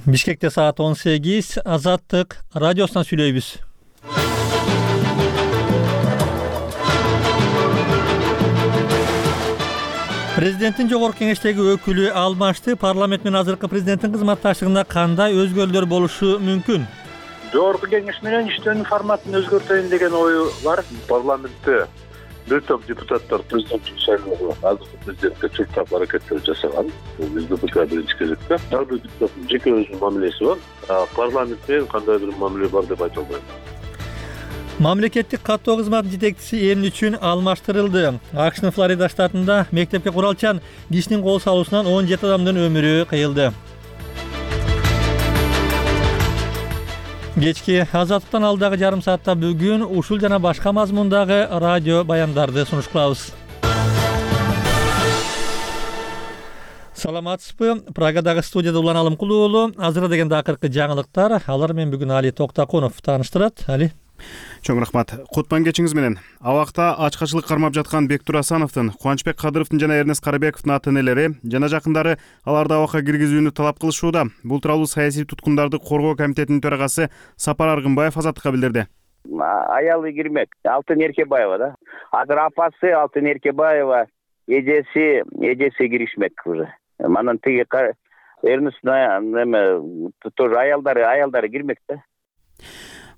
Бишкекте саат 18, Азаттык радиосунан сүйлөйбүз. Президенттин жогорку кеңештеги өкүлү алмашты. Парламент менен азыркы президенттин кызматташтыгында кандай өзгөрүүлөр болушу мүмкүн? Жогорку кеңеш менен иштөөнүн форматын өзгөртөйүн деген ою бар. Парламентте бир топ депутаттар президенттик шайлоого азыркы президентке чуркап аракеттер жасаган. Бул СДПК биринчи кезекте. Ар бир депутаттын жеке өзүнүн мамилеси бар. Парламентте кандайдыр мамиле бар деп айта албайм. Мамлекеттик каттоо кызматынын жетекчиси эмне үчүн алмаштырылды? АКШнын Флорида штатында мектепке куралчан кишинин кол салуусунан 17 адамдын өмүрү кыйылды. Кечки Азаттыктан алдагы жарым саатта бүгүн ушул жана башка мазмундагы радио баяндарды сунуш кылабыз. Саламатсызбы? Прагадагы студияда Улан Алымкулуу уулу. Азыр дегенде акыркы жаңылыктар. Алар менен бүгүн Али Токтакунов тааныштырат. Али. Чоң рахмат. Кутман кечиңиз менен. Абакта ачкачылык кармап жаткан Бектур Асановдун, Кубанычбек Кадыровдун жана Эрнест Карыбековдун ата-энелери жана жакындары аларды абакка киргизүүнү талап кылышууда. Бул тууралуу саясий туткундарды коргоо комитетинин төрагасы Сапар Аргынбаев Азаттыкка билдирди. Аялы кирмек, Алтын Эркебаева да. Азыр апасы Алтын Эркебаева, эжеси киришмек уже. Манан тиги Эрнест тоже аялдары кирмек да.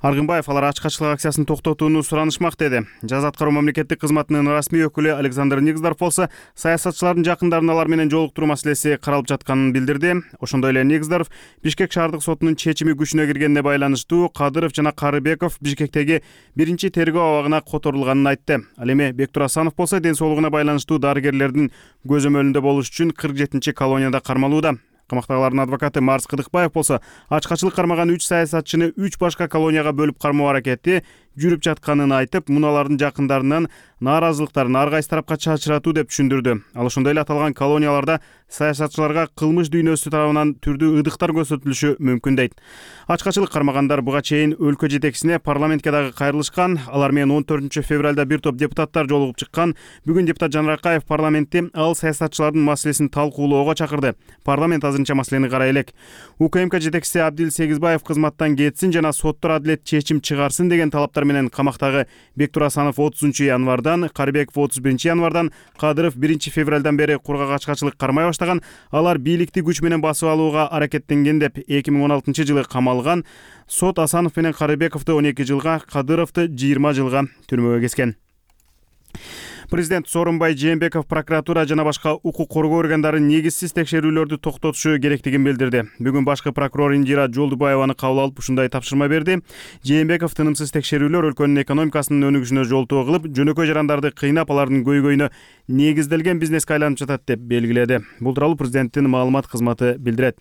Аргынбаев алар ачкачылык акциясын токтотууну суранышмак деди. Жаза аткаруу мамлекеттик кызматынын расмий өкүлү Александр Нигздорф болсо саясатчылардын жакындарын алар менен жолуктуруу маселеси каралып жатканын билдирди. Ошондой эле Нигздорф Бишкек шаардык сотунун чечими күчүнө киргенине байланыштуу Кадыров жана Карыбеков Бишкектеги биринчи тергөө абагына которулганын айтты. Ал эми Бектур Асанов болсо ден соолугуна байланыштуу дарыгерлердин көзөмөлүндө болуш үчүн 47-чи колонияда кармалууда. Камактагылардын адвокаты Марс Кыдыкбаев болсо ачкачылык кармаган 3 саясатчыны 3 башка колонияга бөлүп кармоо аракети жүрүп жатканын айтып, муналардын жакындарынан нааразылыктарын ар кайсы тарапка чачыратуу деп түшүндүрдү. Ал ошондой эле аталган колонияларда саясатчыларга кылмыш дүйнөсү тарабынан түрдүү ыдыктар көрсөтүлүшү мүмкүн дейт. Ачкачылык кармагандар буга чейин өлкө жетекчисине парламентке дагы кайрылышкан. Алар менен 14-февралда бир топ депутаттар жолугуп чыккан. Бүгүн депутат Жан Ракаев парламентте ал саясатчылардын маселесин талкуулоого чакырды. Парламент азырынча маселени карай элек. УКМК жетекчиси Абдил Сегизбаев кызматтан кетсин жана соттор адилет чечим чыгарсын деген талаптар менен камактагы Бектур Асанов 30-январдан, Карыбеков 31-январдан, Кадыров 1-февралдан бери кургак ачкачылык кармай баштаган. Алар бийликти күч менен басып алууга аракеттенген деп 2016-жылы камалган. Сот Асанов менен Карыбековду 12 жылга, Кадыровду 20 жылга түрмөгө кескен. Президент Сооронбай Жээнбеков прокуратура жана башка укук коргоо органдары негизсиз текшерүүлөрдү токтотушу керектигин билдирди. Бүгүн башкы прокурор Индира Жолдубаеваны кабыл алып ушундай тапшырма берди. Жээнбеков тынымсыз текшерүүлөр өлкөнүн экономикасынын өнүгүшүнө жолтоо кылып, жөнөкөй жарандарды кыйнап, алардын көйгөйүнө негизделген бизнеске айланып жатат деп белгиледи. Бул тууралуу президенттин маалымат кызматы билдирет.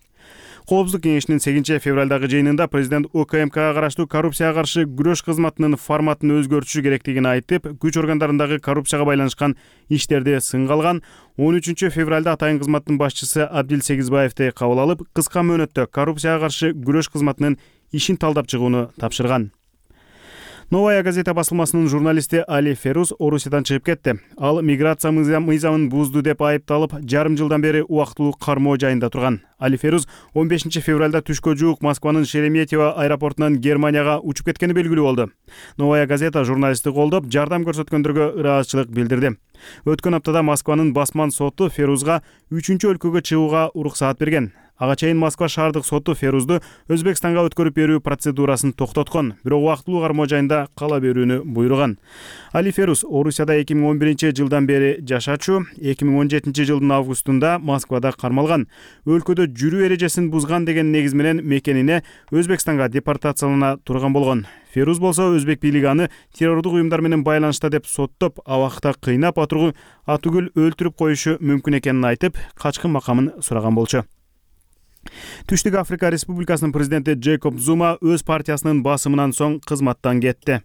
Коопсуздук кеңешинин 8-февралдагы жыйынында президент УКМКга караштуу коррупцияга каршы күрөш кызматынын форматын өзгөртүшү керектигин айтып, күч органдарындагы коррупцияга байланышкан иштерди сынга алган. 13-февралда атайын кызматтын башчысы Абдил Сегизбаевди кабыл алып, кыска мөөнөттө коррупцияга каршы күрөш кызматынын ишин талдап чыгууну тапшырган. Новая газета басылмасынын журналисти Али Феруз Орусиядан чыгып кетти. Ал миграция мыйзамын бузду деп айыпталып, жарым жылдан бери убактылуу кармоо жайында турган. Али Феруз 15-февралда түшкө жуук Москванын Шереметьево аэропортунан Германияга учуп кеткени белгилүү болду. Новая газета журналистти колдоп, жардам көрсөткөндөргө ыраазычылык билдирди. Өткөн аптада Москванын басман соту Ферузга 3-чү өлкөгө чыгууга уруксаат берген. Ага чейин Москва шаардык соту Ферузду Өзбекстанга өткөрүп берүү процедурасын токтоткон, бирок убактылуу кармоо жайында кала берүүнү буйруган. Али Феруз Орусияда 2011-жылдан бери жашачу, 2017-жылдын августунда Москвада кармалган. Өлкөдө жүрүү эрежесин бузган деген негиз менен мекенине Өзбекстанга депортациялана турган болгон. Феруз болсо өзбек бийлиги аны террордук уюмдар менен байланышта деп соттоп, абакта кыйнап атүгүл өлтүрүп коюшу мүмкүн экенин айтып, качкын макамын сураган болчу. Түштүк Африка Республикасынын президенти Джейкоб Зума өз партиясынын басымынан соң кызматтан кетти.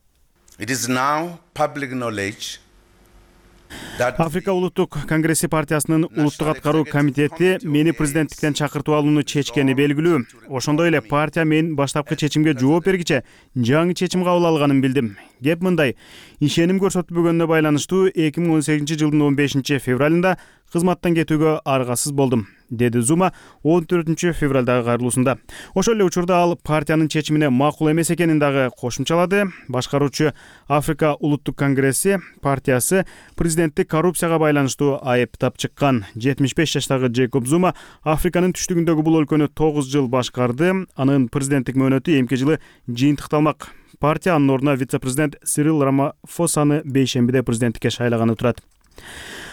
Африка улуттук конгресси партиясынын улуттук аткаруу комитети мени президенттиктен чакыртып алууну чечкени белгилүү. Ошондой эле партия мен баштапкы чечимге жооп бергиче жаңы чечим кабыл алганын билдим. Кеп мындай: ишеним көрсөтүлбөгөнүнө байланыштуу 2018-жылдын 15-февралында кызматтан кетүүгө аргасыз болдум, деди Зума 14 февралдагы кайрылуусунда. Ошол эле учурда ал партиянын чечимине макул эмес экенин дагы кошумчалады. Башкаруучу Африка улуттук конгресси партиясы президентти коррупцияга байланыштуу айыптап чыккан. 75 жаштагы Джейкоб Зума Африканын түштүгүндөгү бул өлкөнү 9 жыл башкарды. Анын президенттик мөөнөтү эмки жылы жыйынтыкталмак. Партия анын ордуна вице-президент Сирил Рамафосаны бейшембиде президенттикке шайлаганы турат.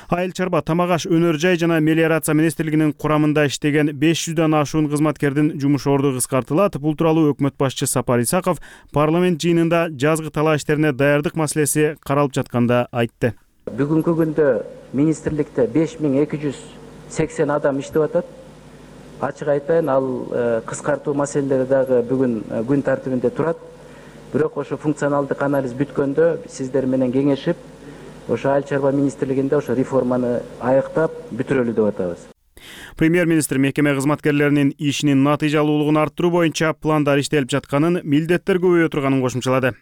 Айыл чарба, тамак аш, өнөр жай жана мелиорация министрлигинин курамында иштеген 500дан ашуун кызматкердин жумуш орду кыскартылат. Бул тууралуу өкмөт башчы Сапар Исаков парламент жыйынында жазгы талаа иштерине даярдык маселеси каралып жатканда айтты. Бүгүнкү күндө министрликте 5280 адам иштеп атат. Ачык айтайын, ал кыскартуу маселелери дагы бүгүн күн тартибинде турат. Бирок ошо функционалдык анализ бүткөндө сиздер менен кеңешип, ошо айыл чарба министрлигинде ошо реформаны аяктап бүтүрөлү деп атабыз. Премьер-министр мекеме кызматкерлеринин ишинин натыйжалуулугун арттыруу боюнча пландар иштелип жатканын, милдеттер көбөйө турганын кошумчалады.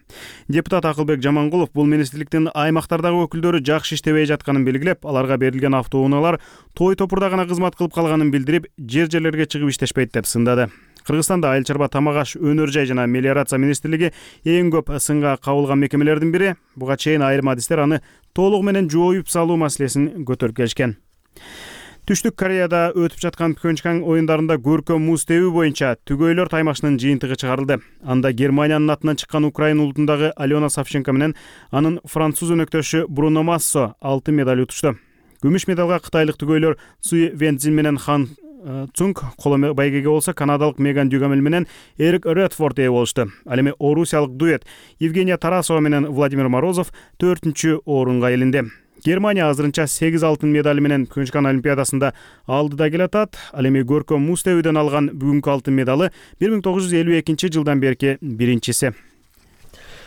Депутат Акылбек Жамангулов бул министрликтин аймактардагы өкүлдөрү жакшы иштебей жатканын белгилеп, аларга берилген автоунaalар той топурда гана кызмат кылып калганын билдирип, жерлерге чыгып иштешпейт деп сындады. Кыргызстанда айыл чарба, тамак аш, өнөр жай жана мелиорация министрлиги эң көп сынга кабылган мекемелердин бири. Буга чейин айрым адистер аны толугу менен жоюп салуу маселесин көтөрүп келишкен. Түштүк Кореяда өтүп жаткан Пхенчхан оюндарында көркөм муз тебүү боюнча түгөйлөр таймашынын жыйынтыгы чыгарылды. Анда Германиянын атынан чыккан Украина улутундагы Алена Савченко менен анын француз өнөктөшү Бруно Массо алтын медаль утушту. Күмүш медалга кытайлык түгөйлөр Суи Венцзин менен Хан Цунг коло байгеге болсо, канадалык Меган Дюгамель менен Эрик Редфорд ээ болушту. Ал эми орусиялык дуэт Евгения Тарасова менен Владимир Морозов 4-чү орунга илинди. Германия азырынча 8 алтын медали менен Пхенчхан олимпиадасында алдыда келатат. Ал эми көркөм муз тебүүдөн алган бүгүнкү алтын медалы 1952 жылдан берки биринчиси.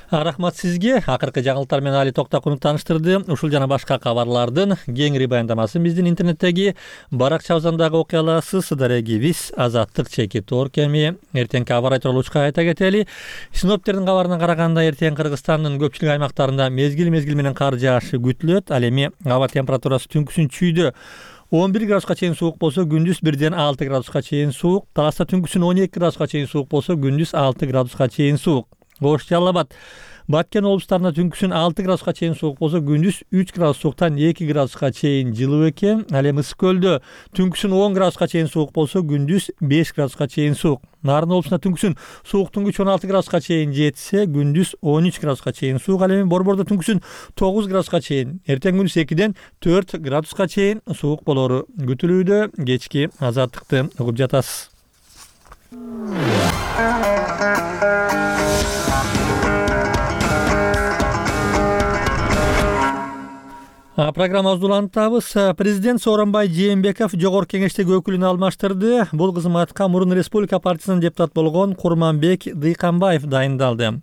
Рахмат сизге. Акыркы жаңылыктар менен Али Токтакунов тааныштырды. Ушул жана башка кабарлардын кеңири баяндамасын биздин интернеттеги баракчабыздагы окуяларсыз дарегибиз Азаттык Чекитор кеми эртеңки аба айтылышка айта кетели. Синоптиктердин кабарына караганда эртең Кыргызстандын көпчүлүк аймактарында мезгил менен кар жаашы күтүлөт. Ал эми аба температурасы түнкүсүн чүйдө 11 градуска чейин суук болсо, күндүз 1ден 6 градуска чейин суук. Таласта түнкүсүн 12 градуска чейин суук болсо, күндүз 6 градуска чейин суук. Ош Жалал Абад, Баткен облустарында түнкүсүн 6 градуска чейин суук болсо, күндүз 3 градус сууктан 2 градуска чейин жылуу экен. Ал эми Ысык көлдө түнкүсүн 10 градуска чейин суук болсо, күндүз 5 градуска чейин суук. Нарын облусунда түнкүсүн сууктун күчү 16 градуска чейин жетсе, күндүз 13 градуска чейин суук. Ал эми Борбордо түнкүсүн 9 градуска чейин, эртең күндүз 2ден 4 градуска чейин суук болору күтүлүүдө. Кечки Азаттыкты угуп жатасыз. Программабызды улантабыз. Президент Сооронбай Жээнбеков жогорку кеңештеги өкүлүн алмаштырды. Бул кызматка мурун Республика партиясынын депутаты болгон Курманбек Дыйканбаев дайындалды.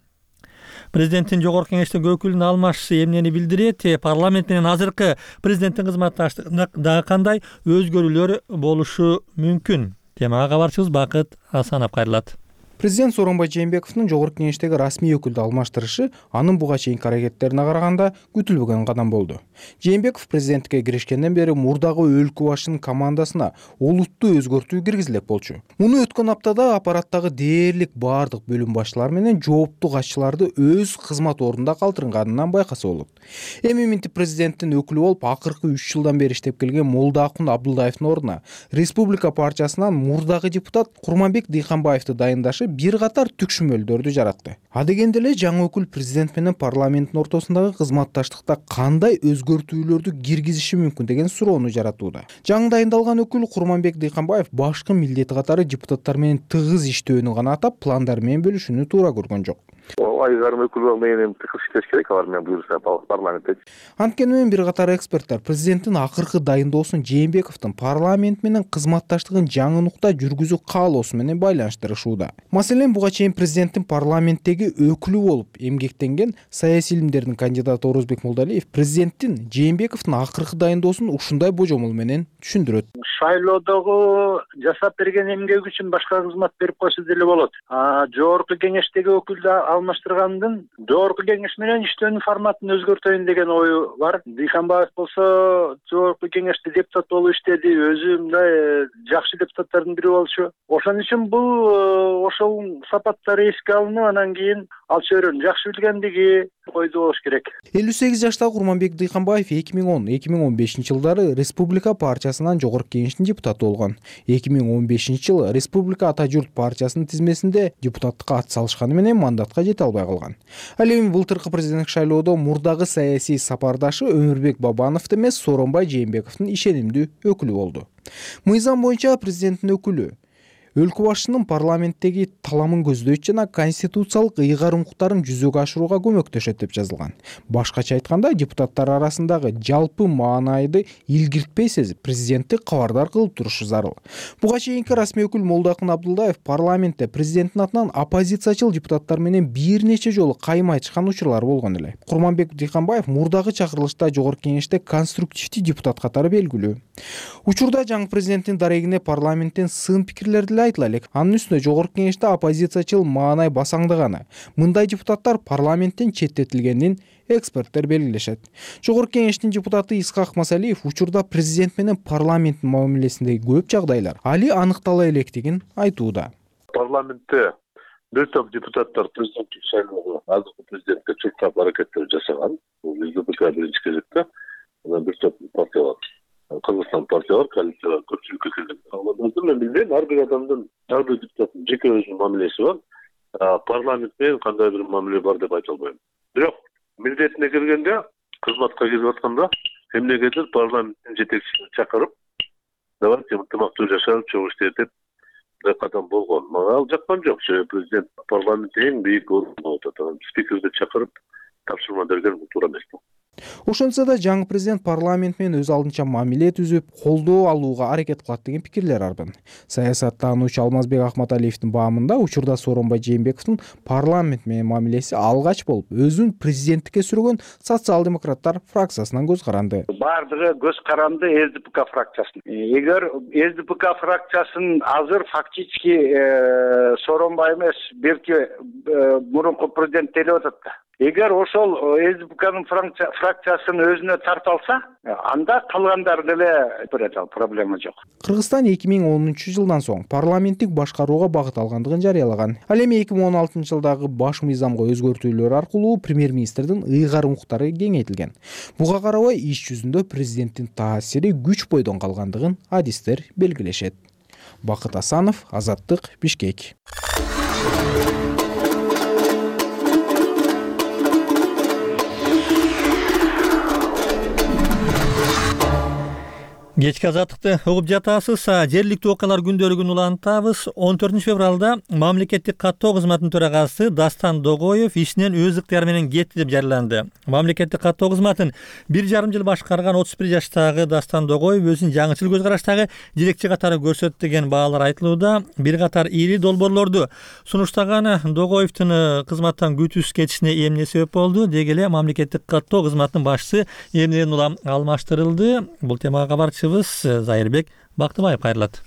Президенттин жогорку кеңештеги өкүлүн алмашысы эмнени билдирет? Парламент менен азыркы президенттин кызматташтыгында дагы кандай өзгөрүүлөр болушу мүмкүн? Темага кабарчыбыз Бакыт Асанов кайрылат. Президент Сооронбай Жээнбековдун жогорку кеңештеги расмий өкүлдү алмаштырышы анын буга чейинки аракеттерине караганда күтүлбөгөн кадам болду. Жээнбеков президенттикке киришкенден бери мурдагы өлкө башчынын командасына олуттуу өзгөртүү киргизилет болчу. Муну өткөн аптада аппараттагы дээрлик баардык бөлүм башчылары менен жооптуу катчыларды өз кызмат ордунда калтырганынан байкаса болот. Эми минтип президенттин өкүлү болуп акыркы 3 жылдан бери иштеп келген Молдоакун Абдулдаевдин ордуна Республика партиясынан мурдагы депутат Курманбек Дыйканбаевди дайындашы бир катар түкшүмөлдөрдү жаратты. Адегенде эле жаңы өкүл президент менен парламенттин ортосундагы кызматташтыкта кандай өзгөртүүлөрдү киргизиши мүмкүн деген суроону жаратууда. Жаңы дайындалган өкүл Курманбек Дыйканбаев башкы милдети катары депутаттар менен тыгыз иштөөнү гана атап, пландар менен бөлүшүүнү туура көргөн жок. Айгарым өкүл менен тыгыз иштеш керек, алар менен буюрса парламентте. Анткени бир катар эксперттер президенттин акыркы дайындоосун Жээнбековдун парламент менен кызматташтыгын жаңы нукта жүргүзүү каалоосу менен байланыштырышууда. Маселен, буга чейин президенттин парламенттеги өкүлү болуп эмгектенген саясий илимдердин кандидаты Орозбек Молдалиев президенттин Жээнбековдун акыркы дайындоосун ушундай божомол менен түшүндүрөт. Шайлоодогу жасап берген эмгеги үчүн башка кызмат берип койсо деле болот. Жогорку кеңештеги өкүлдү алмаштырып алмаштыргандын жогорку кеңеш менен иштөөнүн форматын өзгөртөйүн деген ою бар. Дыйканбаев болсо жогорку кеңеште депутат болуп иштеди, өзү мындай жакшы депутаттардын бири болчу. Ошон үчүн бул ошол сапаттары эске алынып, анан кийин ал чөйрөнү жакшы билгендиги койду болуш керек. 58 жаштагы Курманбек Дыйканбаев 2010-2015 жылдары Республика партиясынан жогорку кеңештин депутаты болгон. 2015 жылы Республика Ата журт партиясынын тизмесинде депутаттыкка ат салышканы менен мандатка жете албай калган. Ал эми былтыркы президенттик шайлоодо мурдагы саясий сапардашы Өмүрбек Бабановду эмес, Сооронбай Жээнбековдун ишенимдүү өкүлү болду. Мыйзам боюнча президенттин өкүлү өлкө башчысынын парламенттеги таламын көздөйт жана конституциялык ыйгар укуктарын жүзөгө ашырууга көмөктөшөт деп жазылган. Башкача айтканда, депутаттар арасындагы жалпы маанайды илгиртпей сезип, президентти кабардар кылып турушу зарыл. Буга чейинки расмий өкүл Молдокун Абдулдаев парламентте президенттин атынан оппозициячыл депутаттар менен бир нече жолу кайма айтышкан учурлар болгон эле. Курманбек Дыйканбаев мурдагы чакырылышта жогорку кеңеште конструктивдүү депутат катары белгилүү. Учурда жаңы президенттин дарегине парламенттен сын пикирлер деле айтыла элек. Анын үстүнө жогорку кеңеште оппозициячыл маанай басаңдаганы, мындай депутаттар парламенттен четтетилгенин эксперттер белгилешет. Жогорку кеңештин депутаты Исхак Масалиев учурда президент менен парламенттин мамилесиндеги көп жагдайлар али аныктала электигин айтууда. Парламентте бир топ депутаттар президенттик шайлоого азыркы президентке чуркап аракеттер жасаган. Бул СДПК биринчи кезекте, анан бир топ партиялар, Кыргызстан партиялар, коалициялар көпчүлүккө келген. Мен билбейм, ар бир адамдын, ар бир депутаттын жеке өзүнүн мамилеси бар. Парламент менен кандай бир мамиле бар деп айта албайм. Бирок милдетине киргенде, кызматка кирип атканда эмнегедир парламенттин жетекчисин чакырып, давайте ынтымактуу жашап, чогуу иштетип кадам болгон. Мага ал жаккан жок. Президент парламентте эң бийик орунда отурат. Спикерди чакырып тапшырма берген туура эмес. Ошонсо да жаңы президент парламент менен өз алдынча мамиле түзүп, колдоо алууга аракет кылат деген пикирлер арбын. Саясаттануучу Алмазбек Акматалиевдин баамында учурда Сооронбай Жээнбековдун парламент менен мамилеси алгач болуп, өзүн президенттикке сүргөн социал-демократтар фракциясынан көз каранды. Бардыгы көз каранды СДПК фракциясын. Эгер СДПК фракциясын азыр фактически Сооронбай эмес, белки мурунку президент делип атат да. Эгер ошол СДПКнын фракциясын өзүнө тарта алса, анда калгандар деле берет, ал проблема жок. Кыргызстан 2010 жылдан соң парламенттик башкарууга багыт алгандыгын жарыялаган. Ал эми 2016 жылдагы баш мыйзамга өзгөртүүлөр аркылуу премьер-министрдин ыйгар укуктары кеңейтилген. Буга карабай иш жүзүндө президенттин таасири күч бойдон калгандыгын адистер белгилешет. Бакыт Асанов, Азаттык, Бишкек. Кечки азаттыкты угуп жатасыз. Жергиликтүү окуялар күндөлүгүн улантабыз. 14 февралда мамлекеттик каттоо кызматынын төрагасы Дастан Догоев ишинен өз ыктыяры менен кетти деп жарыяланды. Мамлекеттик каттоо кызматын 1,5 жыл башкарган 31 жаштагы Дастан Догоев өзүн жаңычыл көз караштагы жетекчи катары көрсөттү деген баалар айтылууда. Бир катар ири долбоорлорду сунуштаган Догоевдун кызматтан күтүүсүз кетишине эмне себеп болду? Деги эле мамлекеттик каттоо кызматынын башчысы эмнеден улам алмаштырылды? Бул темага кабарчы Зайырбек Бактыбаев кайрылат.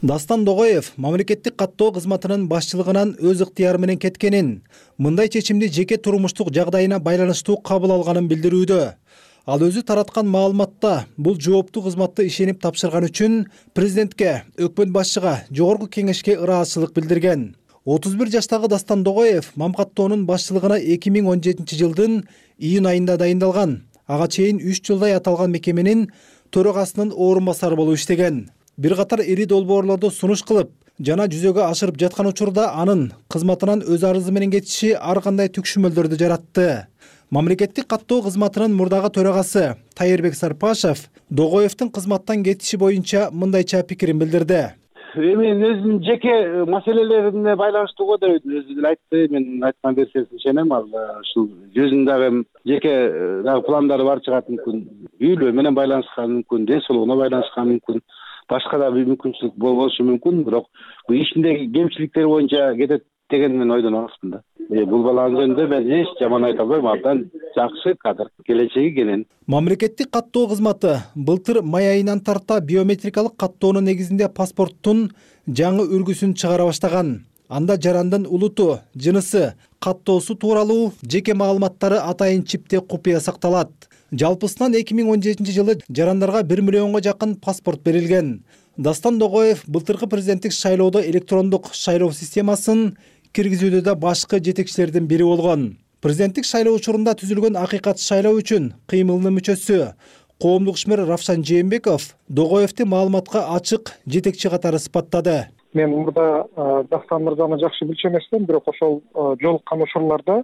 Дастан Догоев мамлекеттик каттоо кызматынын башчылыгынан өз ыктыяры менен кеткенин, мындай чечимди жеке турмуштук жагдайына байланыштуу кабыл алганын билдирүүдө. Ал өзү тараткан маалыматта бул жооптуу кызматты ишенип тапшырган үчүн президентке, өкмөт башчыга, жогорку кеңешке ыраазычылык билдирген. 31 жаштагы Дастан Догоев мамкаттоонун башчылыгына 2017 жылдын июнь айында дайындалган. Ага чейин 3 жылдай аталган мекеменин төрагасынын орун басары болуп иштеген. Бир катар ири долбоорлорду сунуш кылып жана жүзөгө ашырып жаткан учурда анын кызматынан өз арызы менен кетиши ар кандай түкшүмөлдөрдү жаратты. Мамлекеттик каттоо кызматынын мурдагы төрагасы Тайырбек Сарпашев Догоевдун кызматтан кетиши боюнча мындайча пикирин билдирди. Мен өзүнүн жеке маселелерине байланыштуу го деп өзү деле айтты. Мен айткан версиясына ишенем. Ал ушул өзүнүн дагы жеке пландары бар чыгат мүмкүн. Үйлөө менен байланышкан мүмкүн, ден соолугуна байланышкан мүмкүн. Башка да бир мүмкүнчүлүк болушу мүмкүн. Бирок бул ишиндеги кемчиликтер боюнча кетет деген мен ойдон алыспын да. Бул баланын жөнүндө мен эч жаман айта албайм. Абдан жакшы кадр, келечеги кенен. Мамлекеттик каттоо кызматы былтыр май айынан тарта биометрикалык каттоонун негизинде паспорттун жаңы үлгүсүн чыгара баштаган. анда жарандын улуту, жынысы, каттоосу тууралуу жеке маалыматтары атайын чипте купуя сакталат. Жалпысынан 2017 жылы жарандарга 1 миллионго жакын паспорт берилген. Дастан Догоев былтыркы президенттик шайлоодо электрондук шайлоо системасын киргизүүдө да башкы жетекчилердин бири болгон. Президенттик шайлоо учурунда түзүлгөн акыйкат шайлоо үчүн кыймылынын мүчөсү коомдук ишмер Равшан Жээнбеков Догоевди маалыматка ачык жетекчи катары сыпаттады. Мен мурда Дастан мырзаны жакшы билчү эмесмин, бирок ошол жолуккан учурларда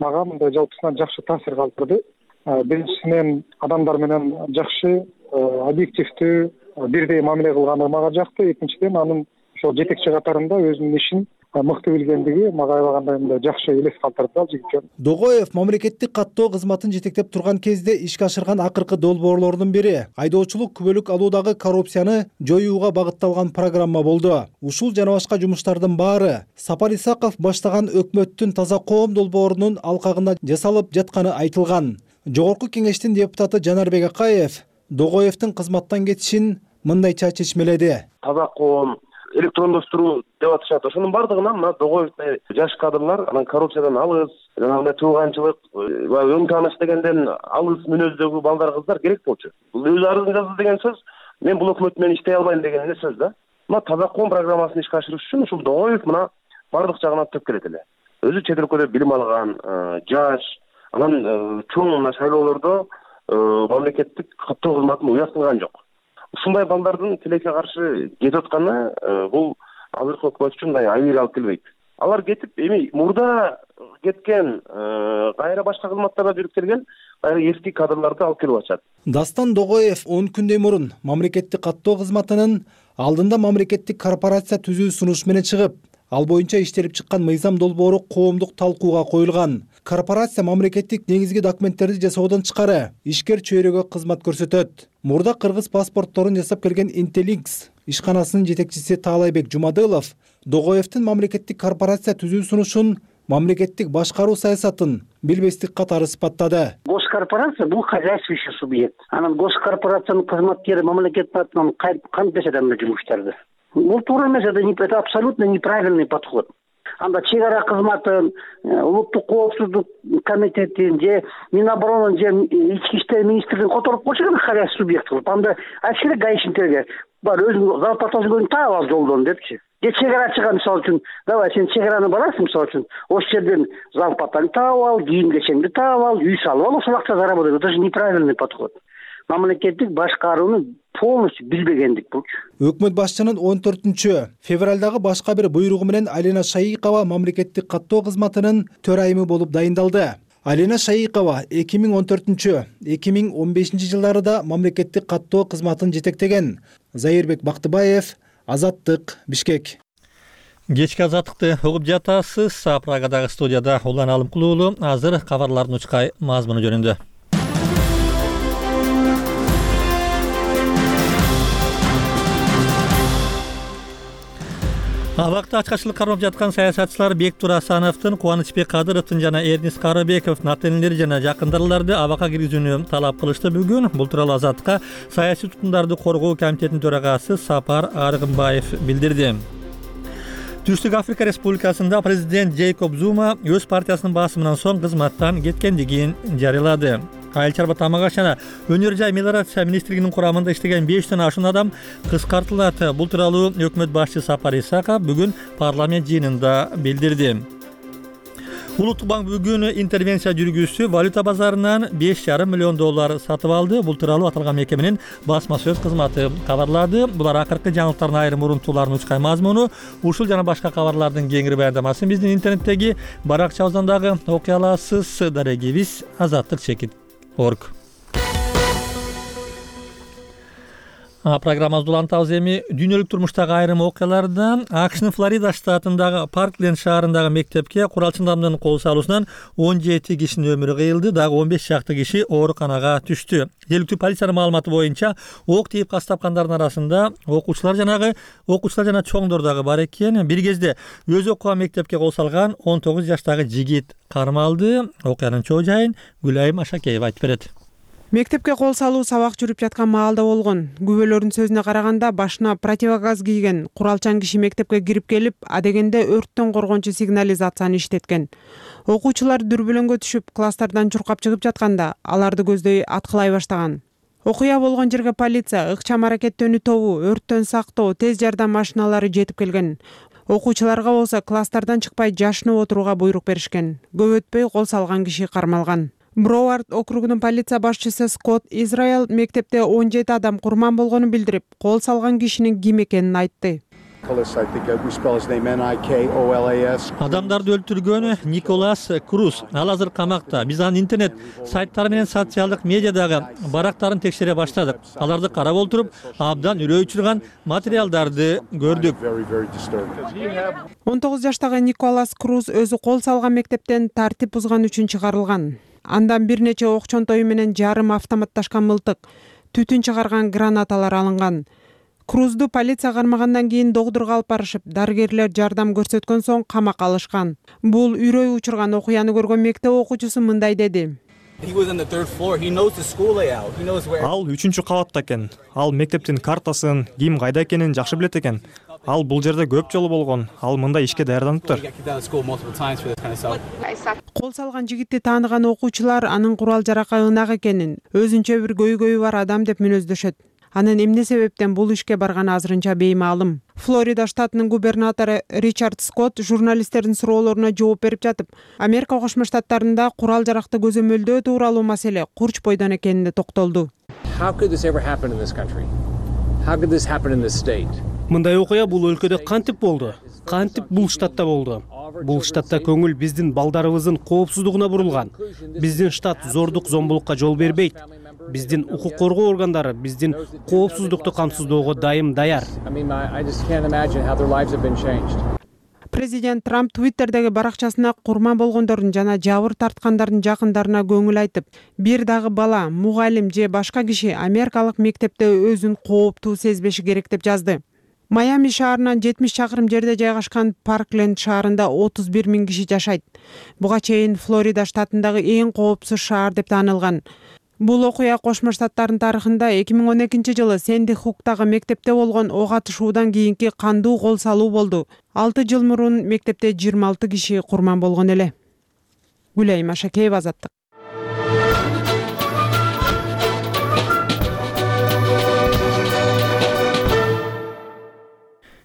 мага мындай жалпысынан жакшы таасир калтырды. Биринчисинен адамдар менен жакшы, объективдүү, бирдей мамиле кылганы мага жакты. Экинчиден анын ошол жетекчи катарында өзүнүн ишин мыкты билгендиги мага аябагандай мындай жакшы элес калтырды ал жигит. Догоев мамлекеттик каттоо кызматын жетектеп турган кезде ишке ашырган акыркы долбоорлордун бири айдоочулук күбөлүк алуудагы коррупцияны жоюуга багытталган программа болду. Ушул жана башка жумуштардын баары Сапар Исаков баштаган өкмөттүн таза коом долбоорунун алкагында жасалып жатканы айтылган. Жогорку кеңештин депутаты Жанарбек Акаев Догоевдин кызматтан кетишин мындайча чечмеледи. Таза коом, электрондоштуруу деп атышат. Ошонун бардыгынан мына Догоевдей жаш кадрлар анан коррупциядан алыс, жанагындай тууганчылык, өн тааныш дегенден алыс мүнөздөгү балдар кыздар керек болчу. Бул өз арызын жазды деген сөз, мен бул өкмөт менен иштей албайм деген эле сөз да. Мына таза коом программасын ишке ашырыш үчүн ушул Догоев мына бардык жагынан төп келет эле. Өзү чет өлкөдө билим алган, жаш, анан чоң мына шайлоолордо мамлекеттик каттоо кызматын уяттырган жок. Ушундай балдардын тилекке каршы кетип атканы бул азыркы өкмөт үчүн мындай айыр алып келбейт. Алар кетип, эми мурда кеткен, кайра башка кызматтарда жүрүп келген кайра эски кадрларды алып келип атышат. Дастан Догоев 10 күндөй мурун мамлекеттик каттоо кызматынын алдында мамлекеттик корпорация түзүү сунуш менен чыгып, ал боюнча иштелип чыккан мыйзам долбоору коомдук талкууга коюлган. Корпорация мамлекеттик негизги документтерди жасоодон тышкары ишкер чөйрөгө кызмат көрсөтөт. Мурда кыргыз паспортторун жасап келген Intellinks ишканасынын жетекчиси Таалайбек Жумадылов Догоевдин мамлекеттик корпорация түзүү сунушун мамлекеттик башкаруу саясатын билбестик катары сыпаттады. Госкорпорация бул хозяйствующий субъект. Анан госкорпорациянын кызматкери мамлекет атынан кантип адамдар жумуштарды. Бул туура эмес, это абсолютно неправильный подход. Анда чек-ара кызматын, улуттук коопсуздук комитетин же Миноборонун же ички иштер министрлигин которуп койчу хозяйственный субъект кылып, анда айткеле гаишниктерге бар өзүң зарплатасын көңүн таап ал жолдон депчи. Же чек-арачыга мисалы үчүн, давай сен чек-араны барасың мисалы үчүн, ошол жерден зарплатаны таап ал, кийим-кечеңди таап ал, үй салып ал, ошол акча заработать. Это же неправильный подход. Мамлекеттик башкарууну полностью билбегендик бул. Өкмөт башчынын 14 февралдагы башка бир буйругу менен Алина Шайыкова мамлекеттик каттоо кызматынын төрайымы болуп дайындалды. Алина Шайыкова 2014-2015 жылдарда мамлекеттик каттоо кызматын жетектеген. Зайырбек Бактыбаев, Азаттык, Бишкек. Кечки азаттыкты угуп жатасыз. Прагадагы студияда Улан Алымкулуулу азыр кабарлардын учкай мазмуну жөнүндө. Абакта ачкачылык кармап жаткан саясатчылар Бектур Асановдун, Кубанычбек Кадыровдун жана Эрнис Карыбековдун ата-энелери жана жакындарларды абакка киргизүүнү талап кылышты бүгүн. Бул тууралуу Азатка саясий туткундарды коргоо комитетинин төрагасы Сапар Аргымбаев билдирди. Түштүк Африка Республикасында президент Джейкоб Зума өз партиясынын басымынан соң кызматтан кеткендигин жарыялады. Айыл чарба тамак аш жана өнөр жай мелиорация министрлигинин курамында иштеген 5тен ашуун адам кыскартылат. Бул тууралуу өкмөт башчысы Сапар Исаков бүгүн парламент жыйынында билдирди. Улуттук банк бүгүн интервенция жүргүзүп, валюта базарынан $5,5 миллион сатып алды. Бул тууралуу аталган мекеменин басма сөз кызматы кабарлады. Булар акыркы жаңылыктардын айрым урунтууларынын учкай мазмуну. Ушул жана башка кабарлардын кеңири баяндамасын биздин интернеттеги баракчабыздан дагы окуй аласыз. Дарегибиз azatlik.org. Программабызды улантабыз эми дүйнөлүк турмуштагы айрым окуялардан. АКШнын Флорида штатындагы Паркленд шаарындагы мектепке куралчындардын кол салуусунан 17 кишинин өмүрү кыйылды, дагы 15 чакты киши ооруканага түштү. Жергиликтүү полициянын маалыматы боюнча ок тийип кас тапкандардын арасында окуучулар жана чоңдор дагы бар экен. Бир кезде өзү окуган мектепке кол салган 19 жаштагы жигит кармалды. Окуянын чоо жайын Гүлайым Ашакеева айтып берет. Мектепке кол салуу сабак жүрүп жаткан маалда болгон. Күбөлөрдүн сөзүнө караганда башына противогаз кийген куралчан киши мектепке кирип келип, адегенде өрттөн коргоончу сигнализацияны иштеткен. Окуучулар дүрбөлөңгө түшүп, класстардан чуркап чыгып жатканда аларды көздөй аткылай баштаган. Окуя болгон жерге полиция, ыкчам аракеттөнүү тобу, өрттөн сактоо, тез жардам машиналары жетип келген. Окуучуларга болсо класстардан чыкпай жашынып отурууга буйрук беришкен. Көп өтпөй кол салган киши кармалган. Броуард округунун полиция башчысы Скотт Израэл мектепте 17 адам курман болгонун билдирип, кол салган кишинин ким экенин айтты. Адамдарды өлтүргөн Николас Круз. Ал азыр камакта. Биз анын интернет сайттары менен социалдык медиадагы барактарын текшере баштадык. Аларды карап отуруп, абдан үрөй учурган материалдарды көрдүк. 19 жаштагы Николас Круз өзү кол салган мектептен тартип бузган үчүн чыгарылган. Андан бир нече ок чонтою менен жарым автоматташкан мылтык, түтүн чыгарган гранаталар алынган. Крузду полиция кармагандан кийин докторго алып барышып, дарыгерлер жардам көрсөткөн соң камакка алышкан. Бул үрөй учурган окуяны көргөн мектеп окуучусу мындай деди. Ал 3-чү кабатта экен. Ал мектептин картасын, ким кайда экенин жакшы билет экен. Ал бул жерде көп жолу болгон. Ал мындай ишке даярданыптыр. Кол салган жигитти тааныган окуучулар анын курал жаракка ынак экенин, өзүнчө бир көйгөйү бар адам деп мүнөздөшөт. Анын эмне себептен бул ишке барганы азырынча беймаалым. Флорида штатынын губернатору Ричард Скотт журналисттердин суроолоруна жооп берип жатып, Америка Кошмо Штаттарында курал жаракты көзөмөлдөө тууралуу маселе курч бойдон экенине токтолду. Мындай окуя бул өлкөдө кантип болду? Кантип бул штатта болду? Бул штатта көңүл биздин балдарыбыздын коопсуздугуна бурулган. Биздин штат зордук, зомбулукка жол бербейт. Биздин укук коргоо органдары биздин коопсуздукту камсыздоого дайым даяр. Президент Трамп Твиттердеги баракчасына курман болгондордун жана жабыр тарткандардын жакындарына көңүл айтып, бир дагы бала, мугалим же башка киши америкалык мектепте өзүн кооптуу сезбеши керек деп жазды. Майами шаарынан 70 чакырым жерде жайгашкан Паркленд шаарында 31 000 киши жашайт. Буга чейин Флорида штатындагы эң коопсуз шаар деп таанылган. Бул окуя Кошмо Штаттардын тарыхында 2012 жылы Сэнди Хуктагы мектепте болгон ок атышуудан кийинки кандуу кол салуу болду. 6 жыл мурун мектепте 26 киши курман болгон эле. Гүлайым Ашакеева, Азаттык.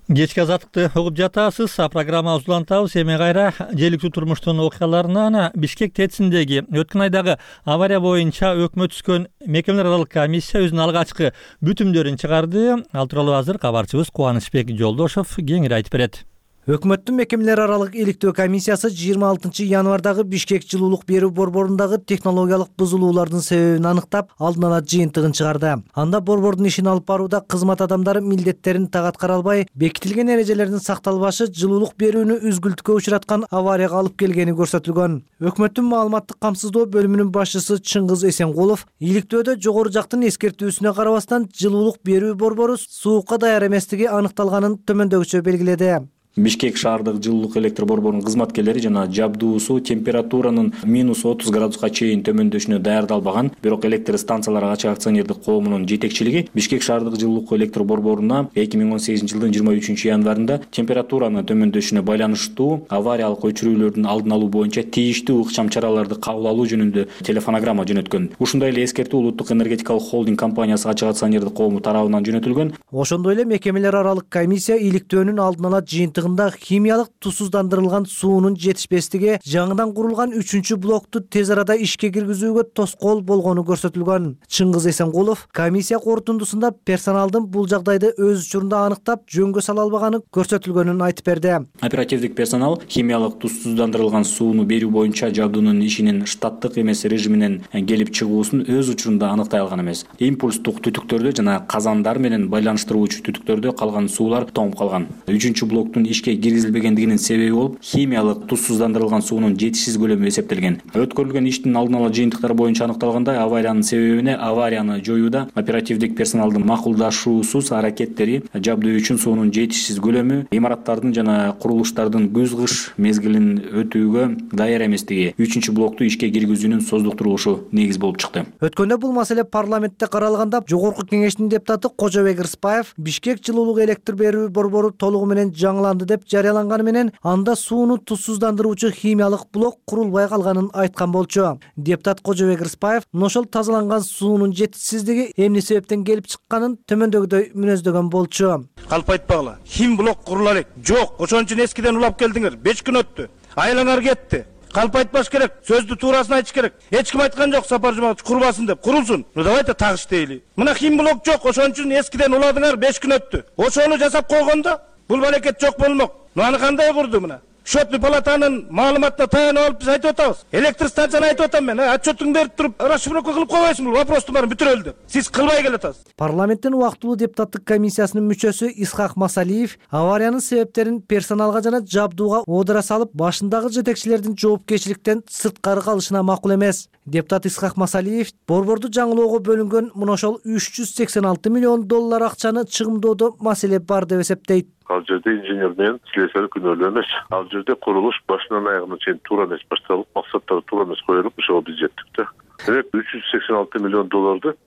Кечки Азаттыкты угуп жатасыз. Программабызды улантабыз. Эми кайра желиктүү турмуштун окуяларына Бишкек ТЭЦиндеги өткөн айдагы авария боюнча өкмөт түзгөн мекемелер аралык комиссия өзүнүн алгачкы бүтүмдөрүн чыгарды. Ал тууралуу азыр кабарчыбыз Кубанычбек Жолдошов кеңири айтып берет. Өкмөттүн мекемелер аралык иликтөө комиссиясы 26 январдагы Бишкек жылуулук берүү борборундагы технологиялык бузулуулардын себебин аныктап, алдын ала жыйынтыгын чыгарды. Анда борбордун ишин алып барууда кызмат адамдары милдеттерин так аткара албай, бекитилген эрежелердин сакталбашы жылуулук берүүнү үзгүлтүккө учураткан аварияга алып келгени көрсөтүлгөн. Өкмөттүн маалыматтык камсыздоо бөлүмүнүн башчысы Чыңгыз Эсенкулов иликтөөдө жогору жактын эскертүүсүнө карабастан жылуулук берүү борбору суукка даяр эместиги аныкталганын төмөндөгүчө белгиледи. Бишкек шаардык жылуулук электр борборунун кызматкерлери жана жабдуусу температуранын -30 градуска чейин төмөндөшүнө даярдалбаган, бирок электр станциялары ачык акционердик коомунун жетекчилиги Бишкек шаардык жылуулук электр борборуна 2018 жылдын 23 январында температуранын төмөндөшүнө байланыштуу авариялык өчүрүүлөрдүн алдын алуу боюнча тийиштүү ыкчам чараларды кабыл алуу жөнүндө телефонограмма жөнөткөн. Ушундай эле эскертүү Улуттук энергетикалык холдинг компаниясы ачык акционердик коому тарабынан жөнөтүлгөн. Ошондой эле мекемелер аралык комиссия иликтөөнүн алдын ала химиялык тусуздандырылган суунун жетишпестиги жаңыдан курулган 3-чү блокту тез арада ишке киргизүүгө тоскоол болгону көрсөтүлгөн. Чыңгыз Эсенкулов комиссия корутундусунда персоналдын бул жагдайды өз учурунда аныктап, жөнгө сала албаганы көрсөтүлгөнүн айтып берди. Оперативдик персонал химиялык тусуздандырылган сууну берүү боюнча жабдуунун ишинин штаттык эмес режиминен келип чыгуусун өз учурунда аныктай алган эмес. Импульстук түтүктөрдө жана казандар менен байланыштыруучу түтүктөрдө калган суулар тоңуп калган. 3-блоктун ишке киргизилбегендигинин себеби болуп химиялык тузсуздандырылган суунун жетишсиз көлөмү эсептелген. Өткөрүлгөн иштин алдын ала жыйынтыктары боюнча аныкталгандай, авариянын себебине аварияны жоюуда оперативдик персоналдын макулдашуусуз аракеттери, жабдуу үчүн суунун жетишсиз көлөмү, имараттардын жана курулуштардын күз-кыш мезгилин өтүүгө даяр эместиги, 3-блокту ишке киргизүүнүн создуктурулушу негиз болуп чыкты. Өткөндө бул маселе парламентте каралганда Жогорку Кеңештин депутаты Кожобек Рыспаев Бишкек жылуулук электр берүү борбору толугу менен жаңыланды деп жарыяланганы менен анда сууну тузсуздандыруучу химиялык блок курулбай калганын айткан болчу. Депутат Кожобек Рыспаев ошол тазаланган суунун жетишсиздиги эмне себептен келип чыкканын төмөндөгүдөй мүнөздөгөн болчу. Калп айтпагыла, хим блок курула элек. Жок, ошон үчүн эскиден улап келдиңер. 5 күн өттү. Айлаңар кетти. Калп айтпаш керек, сөздү туурасын айтыш керек. Эч ким айткан жок Сапар Жумабаев курбасын деп. Курулсун. Давайте тагыш дейли. Мына хим блок жок, ошон үчүн эскиден уладыңар, 5 күн өттү. Ошону жасап койгондо бул балекет жок болмок. Аны кандай курду мына? Счетный палатанын маалыматына таянып алып биз айтып атабыз. Электр станцияны айтып атам мен. Отчетуң берип туруп, расшифровка кылып койбойсуңбу? Вопростун баарын бүтүрөлү деп. Сиз кылбай келатасыз. Парламенттин убактылуу депутаттык комиссиясынын мүчөсү Исхак Масалиев авариянын себептерин персоналга жана жабдууга оодура салып, башындагы жетекчилердин жоопкерчиликтен сырткары калышына макул эмес. Депутат Исхак Масалиев борборду жаңылоого бөлүнгөн мына ошол $386 миллион акчаны чыгымдоодо маселе бар деп эсептейт. Ал жерде инженер менен слесарь күнөөлүү эмес. Ал жерде курулуш башынан аягына чейин туура эмес башталып, максаттары туура эмес коюлуп, ошого биз жеттик да. Демек $386 миллион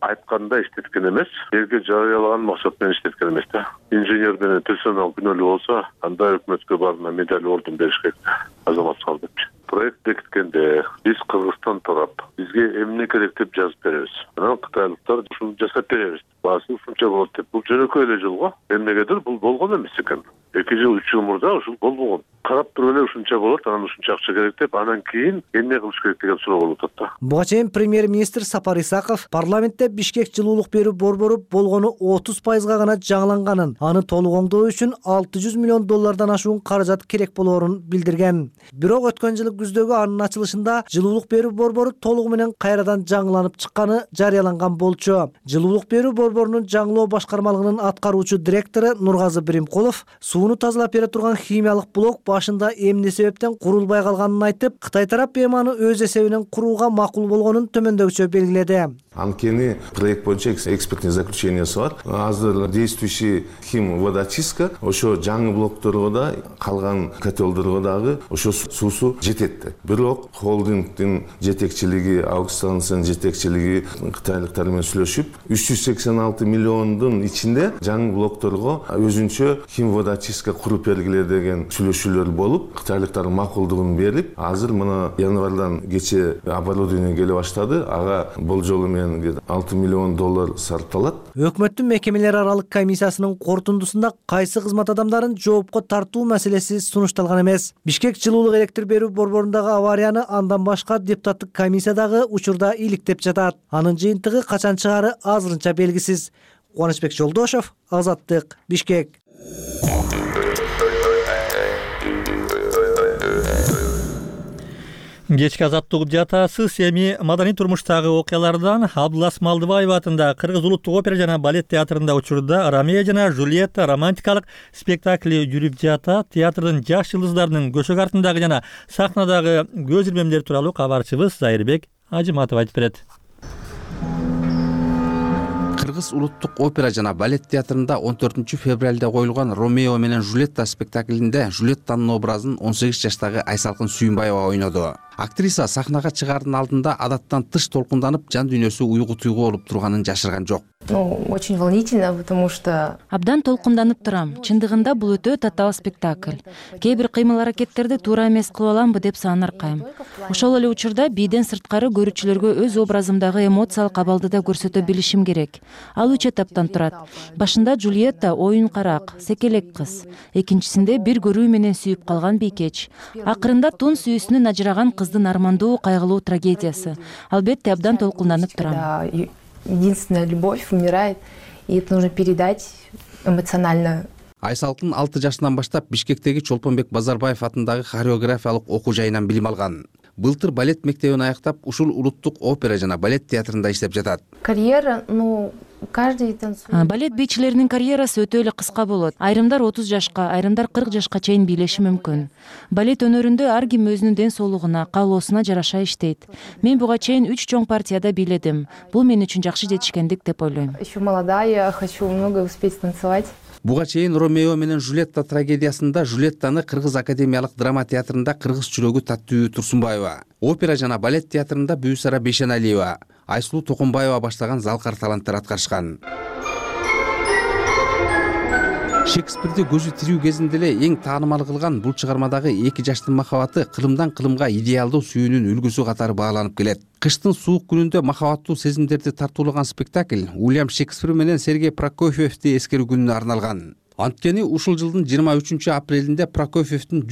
айтканда иштеткен эмес, элге жарыялаган максат менен иштеткен эмес да. Инженер менен персонал күнөөлүү болсо, анда өкмөткө барына медаль ордун бериш керек да. Азамат сал деп. Проект бекиткенде биз Кыргызстан тарап бизге эмне керек деп жазып беребиз. Анан кытайлыктар ушуну жасап беребиз. Баасы ушунча болот деп. Бул жөнөкөй эле жол го. Эмнегедир бул болгон эмес экен. 2 жыл 3 жыл мурда ушул болбогон. Карап туруп эле ушунча болот, анан ушунча акча керек деп, анан кийин эмне кылыш керек деген суроо болуп атат да. Буга чейин премьер-министр Сапар Исаков парламентте Бишкек жылуулук берүү борбору болгону 30% гана жаңыланганын, аны толук оңдоо үчүн $600 миллион ашуун каражат керек болоорун билдирген. Бирок өткөн жылы күздөгү анын ачылышында жылуулук берүү борбору толугу менен кайрадан жаңыланып чыкканы жарыяланган болчу. Жылуулук берүү борборунун жаңылоо башкармалыгынын аткаруучу директору Нургазы Биримкулов сууну тазалап бере турган химиялык блок башында эмне себептен курулбай калганын айтып, Кытай тарап эми аны өз эсебинен курууга макул болгонун төмөндөгүчө белгиледи. Анткени проект боюнча экспертный заключениясы бар. Азыр действующий химводочистка ошо жаңы блокторго да, калган котелдорго дагы ошо суусу жетет. Бирок холдингдин жетекчилиги, аукциондун жетекчилиги кытайлыктар менен сүйлөшүп, 386 миллиондун ичинде жаңы блокторго өзүнчө химводочистка куруп бергиле деген сүйлөшүүлөр болуп, кытайлыктар макулдугун берип, азыр мына январдан кече оборудование келе баштады. Ага болжолу менен $6 миллион сарпталат. Өкмөттүн мекемелер аралык комиссиясынын корутундусунда кайсы кызмат адамдарын жоопко тартуу маселеси сунушталган эмес. Бишкек жылуулук электр берүү борборундагы аварияны андан башка депутаттык комиссия дагы учурда иликтеп жатат. Анын жыйынтыгы качан чыгары азырынча белгисиз. Кубанычбек Жолдошов, Азаттык, Бишкек. Кечки азаттык угуп жатасыз. Эми маданий турмуштагы окуялардан Абдулас Малдыбаев атындагы Кыргыз улуттук опера жана балет театрында учурда Ромео жана Джульетта романтикалык спектакли жүрүп жатат. Театрдын жаш жылдыздарынын көшөк артындагы жана сахнадагы көз ирмемдери тууралуу кабарчыбыз Зайырбек Ажыматов айтып берет. Кыргыз улуттук опера жана балет театрында 14 февралда коюлган Ромео менен Джульетта спектаклинде Джульеттанын образын 18 жаштагы Айсалкын Сүйүнбаева ойноду. Актриса сахнага чыгаардын алдында адаттан тыш толкунданып, жан дүйнөсү уйгу туйгу болуп турганын жашырган жок. Очень волнительно, потому что абдан толкунданып турам. Чындыгында бул өтө татаал спектакль. Кээ бир кыймыл-аракеттерди туура эмес кылып аламбы деп саанаркайм. Ошол эле учурда бийден сырткары көрүүчүлөргө өз образымдагы эмоциялык абалды да көрсөтө билишим керек. Ал 3 этаптан турат. Башында Джульетта оюн карак, секелек кыз. Экинчисинде бир көрүү менен сүйүп калган бийкеч. Акырында тун сүйүүсүнөн ажыраган кыздын армандуу, кайгылуу трагедиясы. Албетте абдан толкунданып турам. Единственная любовь умирает, и это нужно передать эмоционально. Айсалкын 6 жашынан баштап Бишкектеги Чолпонбек Базарбаев атындагы хореографиялык окуу жайынан билим алган. Былтыр балет мектебин аяктап, ушул улуттук опера жана балет театрында иштеп жатат. Карьера, балет бийчилеринин карьерасы өтө эле кыска болот. Айрымдар 30 жашка, айрымдар 40 жашка чейин бийлеши мүмкүн. Балет өнөрүндө ар ким өзүнүн ден соолугуна, каалоосуна жараша иштейт. Мен буга чейин 3 чоң партияда бийледим. Бул мен үчүн жакшы жетишкендик деп ойлойм. Еще молодая, хочу много успеть танцевать. Буга чейин Ромео менен Жулетта трагедиясында Жулеттаны Кыргыз академиялык драма театрында кыргыз жүрөгү Таттуу Турсунбаева, опера жана балет театрында Бүүсара Бейшеналиева, Айсулуу Токонбаева баштаган залкар таланттар аткарышкан. Шекспирди көзү тирүү кезинде эле эң таанымал кылган бул чыгармадагы эки жаштын махабаты кылымдан кылымга идеалдуу сүйүүнүн үлгүсү катары бааланып келет. Кыштын суук күнүндө махабаттуу сезимдерди тартуулаган спектакль Уильям Шекспир менен Сергей Прокофьевди эскерүү күнүнө арналган. Анткени ушул жылдын 23 апрелинде Прокофьевдин